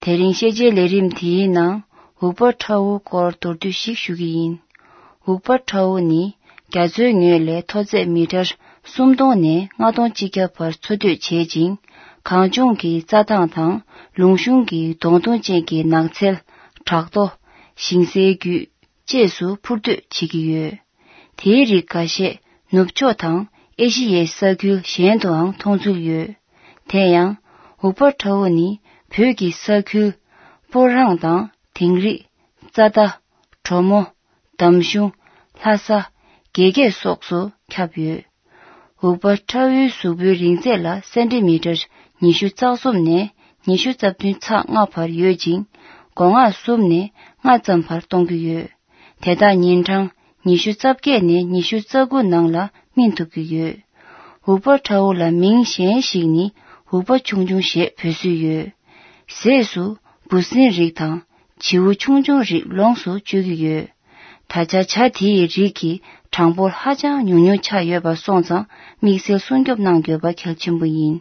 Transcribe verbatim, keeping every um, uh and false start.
དེ་རིང་ཤེས་བྱའི་ལས་རིམ་དེའི་ནང་འུག་པ་ཁྲ་བོ་སྐོར་མདོར་བསྡུས་ཤིག་ཞུ་གི་ཡིན། འུག་པ་ཁྲ་བོ་ནི་རྒྱ་མཚོའི་ངོས་ལས་མཐོ་ཚད་མི་ཊར་སུམ་སྟོང་ནས་ལྔ་སྟོང་གཅིག་བརྒྱ་བར་འཚོ་སྡོད་བྱེད་ཅིང་། གངས་ལྗོངས་ཀྱི་རྩྭ་ཐང་དང་ལུང་གཤོང་གི་སྡོང་དུམ་ཅན་གྱི་ནགས་ཚལ། བྲག་རྡོ། ཞིང་སའི་རྒྱུད། བཅས་སུ་འཕུར་སྡོད་བྱེད་ཀྱི་ཡོད། དེའི་རིགས་འགའ་ཤས་ནུབ་ཕྱོགས་དང་ཨེ་ཤི་ཡའི་ས་ཁུལ་གཞན་དུའང་མཐོང་ཚུལ་ཡོད། དེ་ཡང་འུག་པ་ཁྲ་བོ་ནི་བོད་ཀྱི་ས་ཁུལ་སྤོ་རང་དང་དིང་རི། རྩ་མདའ། གྲོ་མོ། འདམ་གཞུང་། ལྷ་ས། དགེ་རྒྱས་སོགས་སུ་ཁྱབ་ཡོད། འུག་པ་ཁྲ་བོའི་གཟུགས་པོའི་རིང་ཚད་ལ་སེན་ཏི་མི་ཊར་ཉི་ཤུ་རྩ་གསུམ་ནས་ཉི་ཤུ་རྩ་བདུན་ཚེག་ལྔ་བར་ཡོད་ཅིང་། མགོ་རྔ་གསུམ་ནས་ལྔ་ཙམ་བར་གཏོང་གི་ཡོད། དེ་དག་ཉིན་གྲངས་ཉི་ཤུ་རྩ་བརྒྱད་ནས་ཉི་ཤུ་རྩ་དགུ་ནང་ལ་སྨིན་ཐུབ་ཀྱི་ཡོད། འུག་པ་ཁྲ་བོ་ལ་མིང་གཞན་ཞིག་ནི་འུག་པ་ཆུང་ཆུང་ཞེས་འབོད་སྲོལ་ཡོད། ཟས་སུ་འབུ་སྲིན་རིགས་དང་བྱིའུ་ཆུང་ཆུང་རིགས་ལོངས་སུ་སྤྱོད་ཀྱི་ཡོད། ད་ཆ་བྱ་དེ་ཡི་རིགས་ཀྱི་གྲངས་འབོར་ཧ་ཅང་ཉུང་ཉུང་ཆགས་ཡོད་པ་སོང་ཙང་དམིགས་བསལ་སྲུང་སྐྱོབ་གནང་དགོས་པ་གལ་ཆེན་པོ་ཡིན།